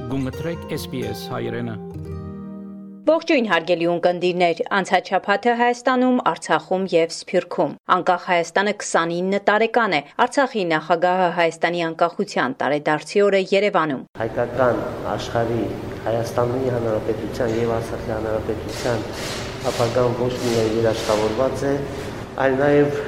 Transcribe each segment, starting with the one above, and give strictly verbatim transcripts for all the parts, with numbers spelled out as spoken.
Գումտրեք S B S հայրենը։ Ողջույն հարգելի ունկնդիրներ, անցած շաբաթը Հայաստանում, Արցախում եւ Սփյուռքում։ Անկախ Հայաստանը քսանինը տարեկան է։ Արցախի նախագահը Հայաստանի անկախության տարեդարձի օրը Երևանում։ Հայկական աշխարհի Հայաստանի Հանրապետության եւ Արցախի Հանրապետության ապագան ոչ միայն երաշխավորված է, այլ նաեւ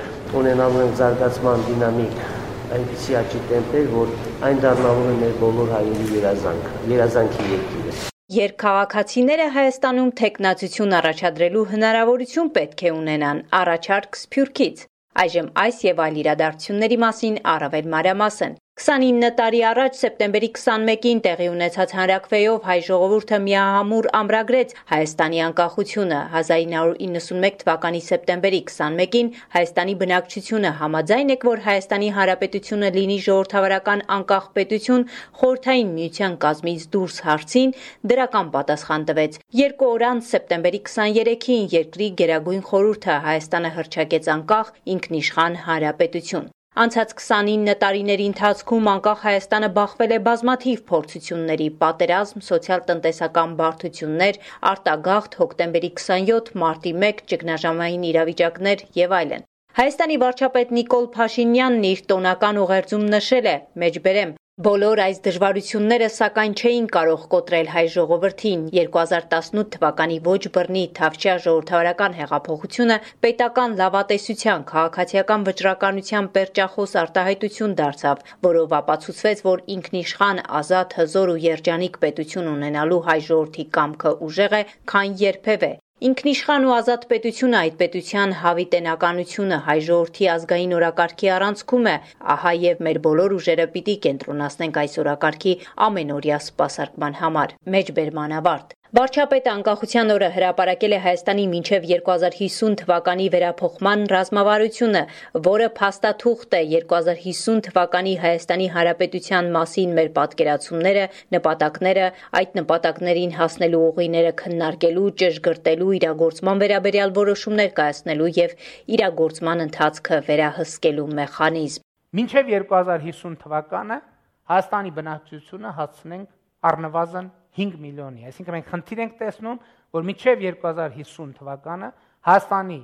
ունենալու են զարգացման դինամիկ այնպիսի աճի տեմպեր, որ այն դառնալու է մեր բոլոր հայերի երազանք, երազանքի երկիրը։ Երկքաղաքացիները Հայաստանում թեկնածություն առաջադրելու հնարավորություն պետք է ունենան, առաջարկ Սփյուռքից։ Այժմ այս եւ այլ իրադարձությունների մասին առավել մանրամասն։ քսանինը տարի առաջ սեպտեմբերի քսանմեկին տեղի ունեցած հանրաքվեով հայ ժողովուրդը միահամուռ ամրագրեց Հայաստանի անկախությունը։ հազար ինը հարյուր իննսունմեկ թվականի սեպտեմբերի քսանմեկին Հայաստանի բնակչությունը համաձայն է, որ Հայաստանի Հանրապետությունը լինի ժողովրդավարական անկախ պետություն խորհրդային միության կազմից դուրս հարցին դրական պատասխան տվեց։ Երկու օր անց սեպտեմբերի քսաներեքին երկրի Գերագույն խորհուրդը Հայաստանը հռչակեց անկախ ինքնիշխան հանրապետություն։ Անցած քսանինը տարիների ընթացքում անկախ Հայաստանը բախվել է բազմաթիվ փորձությունների, պատերազմ, սոցիալ-տնտեսական բարդություններ, արտագաղթ, հոկտեմբերի քսանյոթ, մարտի մեկ, ճգնաժամային իրավիճակներ եւ այլն։ Հայաստանի վարչապետ Նիկոլ Փաշինյանն իր տոնական ուղերձում նշել է. «Մեջբերեմ, բոլոր այս դժվարությունները սակայն չէին կարող կոտրել հայ ժողովրդին։ երկու հազար տասնութ թվականի ոչ բռնի Թավշյա ժողովրդավարական հեղափոխությունը պետական լավատեսության, քաղաքացիական վճռականության պերճախոս արտահայտություն դարձավ, որով ապացուցվեց, որ ինքնիշխան, ազատ, հզոր ու երջանիկ պետություն ունենալու հայ ժողովրդի կամքը ուժեղ է, քան երբևէ։ Ինքնիշխան ու ազատ պետությունը այդ պետության հավիտենականությունը հայ ժողովրդի ազգային օրակարգի առանցքում է, ահա եւ մեր բոլոր ուժերը պիտի կենտրոնացնենք այս օրակարգի ամենօրյա սպասարկման համար»։ Մեջբերման ավարտ։ Վարչապետը անկախության օրը հրապարակել է Հայաստանի մինչև երկու հազար հիսուն թվականի վերափոխման ռազմավարությունը, որը փաստաթուղթ է երկու հազար հիսուն թվականի Հայաստանի Հանրապետության մասին մեր պատկերացումները, նպատակները, այդ նպատակներին հասնելու ուղիները քննարկելու, ճշգրտելու, իրագործման վերաբերյալ որոշումներ կայացնելու եւ իրագործման ընթացքը վերահսկելու մեխանիզմ։ Մինչև երկու հազար հիսուն թվականը Հայաստանի բնակչությունը հասցնենք առնվազն հինգ միլիոնի, այսինքն մենք խնդիր ենք տեսնում, որ մինչև երկու հազար հիսուն թվականը Հայաստանի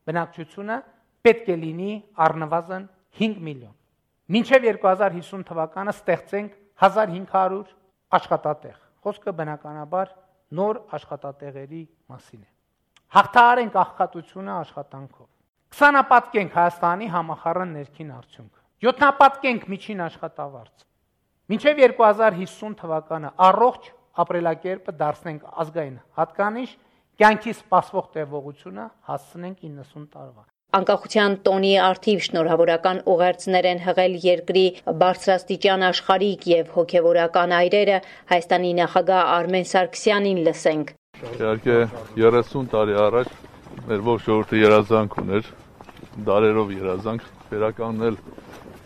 բնակչությունը պետք է լինի առնվազն հինգ միլիոն։ Մինչև երկու հազար հիսուն թվականը ստեղծենք հազար հինգ հարյուր աշխատատեղ։ Խոսքը բնականաբար նոր աշխատատեղերի մասին է։ Հաղթահարենք աղքատությունը աշխատանքով։ Քսանապատկենք Հայաստանի համախառն ներքին արդյունքը։ Յոթնապատկենք միջին աշխատավարձ։ Մինչև երկու հազար հիսուն թվականը առողջ ապրելակերպը դարձնենք ազգային հատկանիշ, կյանքի սպասվող տևողությունը հասցնենք իննսուն տարվա։ Անկախության տոնի արդիվ շնորհավորական ուղերձներ են հղել երկրի բարձրաստիճան աշխարհիկ եւ հոգեվորական այրերը, Հայաստանի նախագահ Արմեն Սարգսյանին լսենք։ Իհարկե երեսուն տարի առաջ մեր ողջ ժողովուրդը երազանք ուներ, դարերով երազանք վերականգնել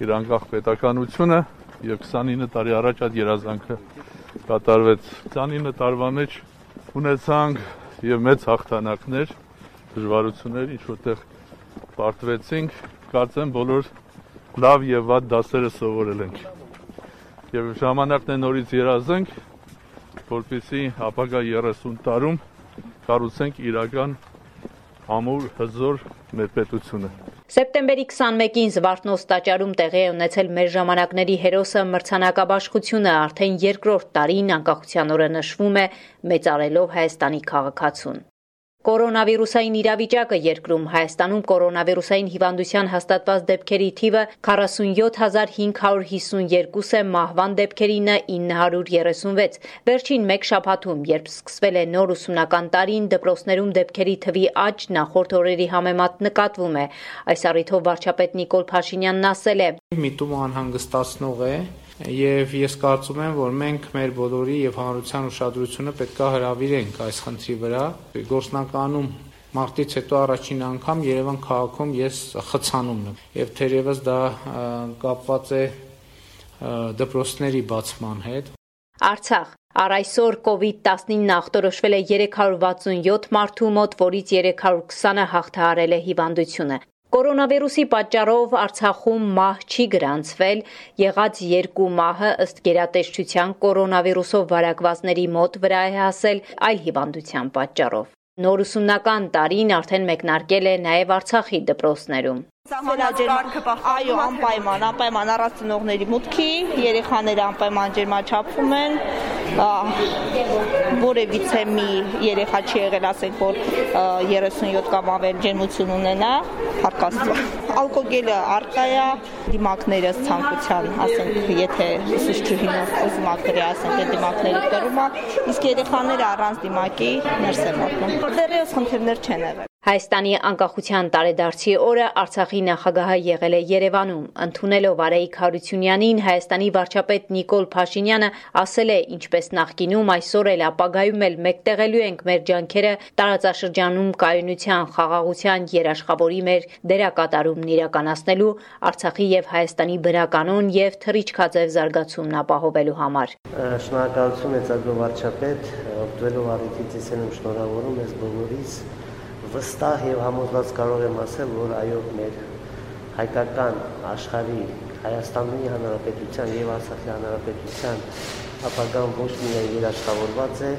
իր անկախ պետականությունը եւ քսանինը տարի առաջ այդ երազանքը կատարվեց։ քսանինը տարվա մեջ ունեցանք եւ մեծ հաղթանակներ, դժվարություններ, ինչ որտեղ պարտվեցինք, կարծեմ բոլոր լավ եւ վատ դասերը սովորել ենք։ Եվ ժամանակն է նորից երազենք, որպեսզի ապագա երեսուն տարում կառուցենք իրական ամուր, հզոր մեր պետությունը։ Սեպտեմբերի քսանմեկին Զվարթնոց տաճարում տեղի է ունեցել մեր ժամանակների հերոսը մրցանակաբաշխությունը, արդեն երկրորդ տարին անկախության օրը նշվում է մեծարելով Հայաստանի քաղաքացուն։ Կորոնավիրուսային իրավիճակը երկրում Հայաստանում կորոնավիրուսային հիվանդության հաստատված դեպքերի թիվը քառասունյոթ հազար հինգ հարյուր հիսունյերկու է, մահվան դեպքերինը ինը հարյուր երեսունվեց։ Վերջին մեկ շաբաթում, երբ սկսվել է նոր ուսումնական տարին, դպրոցներում դեպքերի թվի աճ նախորդ օրերի համեմատ նկատվում է։ Այս առիթով վարչապետ Նիկոլ Փաշինյանն ասել է. «Միտումը անհանգստացնող է։ Եվ ես կարծում եմ, որ մենք մեր բոլորի եւ հանրության ուշադրությունը պետք է հրավիրենք այս խնդրի վրա։ Գործնականում մարտից հետո առաջին անգամ Երևան քաղաքում ես խցանումն եմ եւ թերևս դա կապված է դպրոցների բացման հետ»։ Արցախ Առ այսօր կովիդ տասնինը ախտորոշվել է երեք հարյուր վաթսունյոթ մարդու մոտ, որից երեք հարյուր քսանը հաղթահարել է հիվանդությունը։ Կորոնավիրուսի պատճառով Արցախում մահ չի գրանցվել, եղած երկու մահը ըստ գերատեսչության կորոնավիրուսով վարակվածների մոտ վրա է հասել այլ հիվանդության պատճառով։ Նոր ուսումնական տարին արդեն մեկնարկել է նաև Արցախի դպրոցներում։ Այո, անպայման, անպայման առանց ծնողների մուտքի, երեխաները անպայման ջերմաչափվում են, որևիցե մի երեխա չի եղել, ասենք, որ երեսունյոթ կամ ավել ջերմություն ունենա, հարկաստվա։ Ալկոգելը առկա է, դիմակները ցանկության, ասենք, եթե ուսուցչուհին ուզում ակրի, ասենք, այդ դիմակները կրում է, իսկ երեխաները առանց դիմակի ներս են մտնում։ Դեռևս խնդիրներ չեն եղել։ Հայաստանի անկախության տարեդարձի օրը Արցախի նախագահը եղել է Երևանում։ Ընդունելով Արայիկ Հարությունյանին, Հայաստանի վարչապետ Նիկոլ Փաշինյանը ասել է, ինչպես նախկինում, այսօր էլ ապագայում էլ մեկտեղելու ենք մեր ջանքերը տարածաշրջանում կայունության, խաղաղության, երաշխավորի մեր դերակատարումն իրականացնելու, Արցախի եւ Հայաստանի բնականոն եւ թռիչքաձև զարգացումն ապահովելու համար։ Շնորհակալություն մեծարգո վարչապետ, օգտվելով առիթից ես եմ շնորհավորում ես բոլորիս վստահ եւ համոզված կարող եմ ասել, որ այո, մեր հայկական աշխարհի Հայաստանի Հանրապետության եւ Արցախի Հանրապետության ապագան ոչ միայն երաշխավորված է,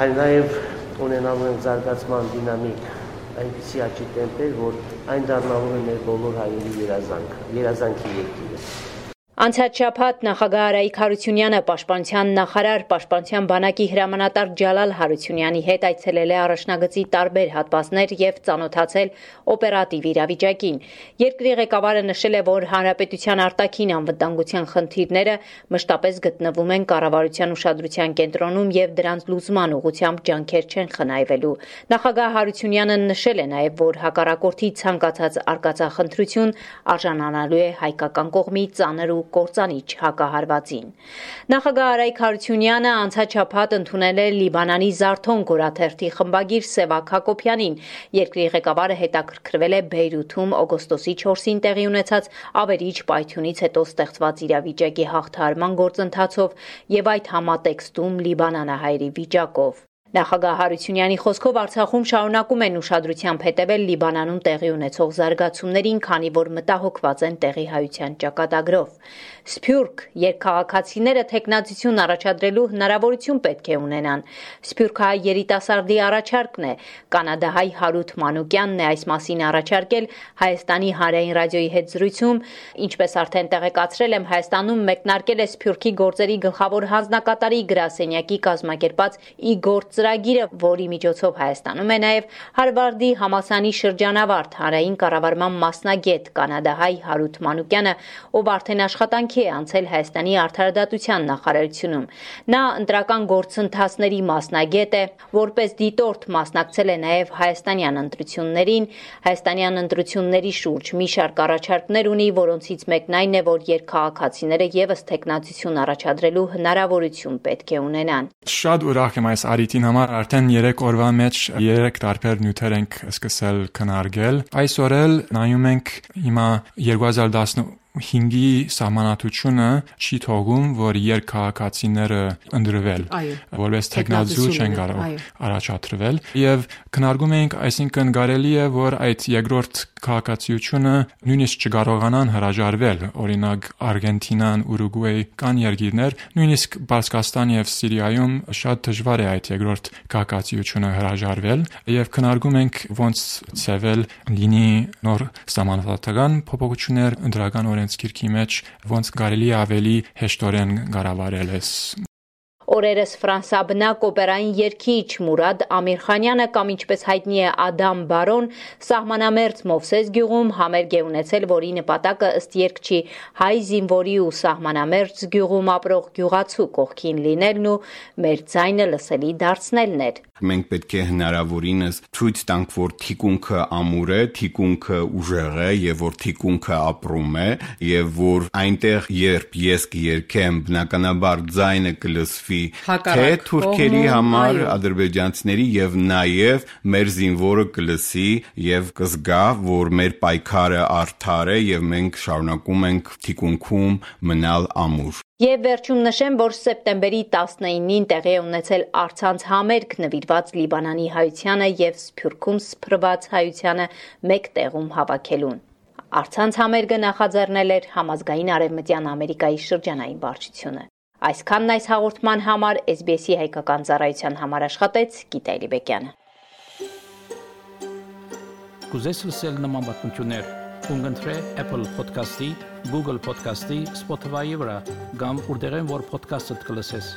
այլ նաեւ ունենալու են զարգացման դինամիկ, այնպիսի աճի տեմպեր, որ այն դառնալու է մեր բոլոր հայերի երազանքը, երազանքի երկիրը։ Անցած շաբաթ նախագահ Արայիկ Հարությունյանը պաշտպանության նախարար պաշտպանության բանակի հրամանատար Ջալալ Հարությունյանի հետ այցելել է առաջնագծի տարբեր հատվածներ եւ ծանոթացել օպերատիվ իրավիճակին։ Երկրի ղեկավարը նշել է, որ հանրապետության արտաքին անվտանգության խնդիրները մշտապես գտնվում են կառավարության ուշադրության կենտրոնում եւ դրանց լուծման ուղղությամբ ջանքեր չեն խնայվելու։ Նախագահ Հարությունյանը նշել է նաեւ, որ հակառակորդի ցանկացած արկածախնդրություն արժանանալու է հայկական կողմի ծանր ու կործանիչ հակահարվածին։ Նախագահ Արայիկ Հարությունյանը անցած շաբաթ ընդունել է Լիբանանի Զարթոն գորաթերթի խմբագիր Սևակ Հակոբյանին։ Երկրի ղեկավարը հետաքրքրվել է Բեյրութում օգոստոսի չորսին տեղի ունեցած ավերիչ պայթյունից հետո ստեղծված իրավիճակի հաղթահարման գործընթացով եւ այդ համատեքստում լիբանանահայերի վիճակով։ Նախագահ Հարությունյանի խոսքով Արցախում շարունակում են ուշադրությամբ հետևել Լիբանանում տեղի ունեցող զարգացումներին, քանի որ մտահոգված են տեղի հայության ճակատագրով։ Սփյուռք երկքաղաքացիները թեկնածություն առաջադրելու հնարավորություն պետք է ունենան։ Սփյուռքահայ երիտասարդի առաջարկն է։ Կանադահայ Հարութ Մանուկյանն է այս մասին առաջարկել Հայաստանի հանրային ռադիոյի հետ զրույցում, ինչպես արդեն տեղեկացրել եմ, Հայաստանում մեկնարկել է Սփյուռքի գործերի գլխավոր հանձնակատարի գրասենյակի կազմակերպած Իգոր ծրագիրը, որի միջոցով Հայաստանում է նաև Հարվարդի համալսարանի շրջանավարտ հանրային կառավարման մասնագետ կանադահայ Հարութ Մանուկյանը, ով արդեն աշխատանքի է անցել Հայաստանի արդարադատության նախարարությունում։ Նա ընտրական գործընթացների մասնագետ է, որպես դիտորդ մասնակցել է նաև հայաստանյան ընտրություններին, հայաստանյան ընտրությունների շուրջ մի շարք առաջարկներ ունի, որոնցից մեկն այն է, որ երկքաղաքացիները եւս թեկնածություն առաջադրելու հնարավորություն պետք է ունենան։ Շատ ուրախ եմ այս արիթին համար, արդեն երեք օրվա մեջ երեք տարբեր նյութեր ենք սկսել քննարկել։ Այսօր էլ նայում ենք հիմա երկու հազար տասնհինգի սահմանադրությունը չի թողում, որ երկքաղաքացիները ընտրվել, որպես թեկնածու չեն կարող առաջադրվել, եւ քննարկում ենք, այսինքն կարելի է, որ այդ երկրորդ քաղաքացիությունը նույնիսկ չկարողանան հրաժարվել, օրինակ Արգենտինան, Ուրուգվայ կան երկիրներ, նույնիսկ Պարսկաստան եւ Սիրիայում շատ դժվար է այդ երկրորդ քաղաքացիությունը հրաժարվել, եւ քննարկում ենք ոնց ծեվել լինի նոր սահմանադրական փոփոխություններ ընդրական օրենսգիրքի մեջ, ոնց կարելի ավելի հեշտորեն կառավարել է։ Օրերս ֆրանսաբնակ օպերային երգիչ Մուրադ Ամիրխանյանը կամ ինչպես հայտնի է Ադամ Բարոն սահմանամերձ Մովսես գյուղում համերգ է ունեցել, որի նպատակը ըստ երգչի հայ զինվորի ու սահմանամերձ գյուղում ապրող գյուղացու կողքին լինելն ու մեր ձայնը լսելի դարձնելն էր։ Մենք պետք է հնարավորինս ցույց տանք, որ թիկունքը ամուր է, թիկունքը ուժեղ է եւ որ թիկունքը ապրում է եւ որ այնտեղ երբ ես կերքեմ, բնականաբար ձայնը կլսվի լինի Հակառակ թե թուրքերի կողմում, համար այո։ ադրբեջանցիների եւ նաեւ մեր զինվորը կլսի եւ կզգա, որ մեր պայքարը արդար է եւ մենք շարունակում ենք թիկունքում մնալ ամուր։ Եվ վերջում նշեմ, որ սեպտեմբերի տասնինին տեղի է ունեցել առցանց համերգ նվիրված Լիբանանի հայությանը եւ Սփյուռքում սփռված հայությանը մեկ տեղում հավաքելուն։ Առցանց համերգը նախաձեռնել էր Համազգային Արևմտյան Ամերիկայի շրջանային վարչությունը։ Այսքանն այս հաղորդման համար S B S-ի հայկական ծառայության համար աշխատեց Գիտա Էլիբեկյանը։ Կուզես լսել նման բանություններ, կընտրե Apple Podcast-ի, Google Podcast-ի, Spotify-ի վրա, կամ որտեղեն որ podcast-ը կլսես։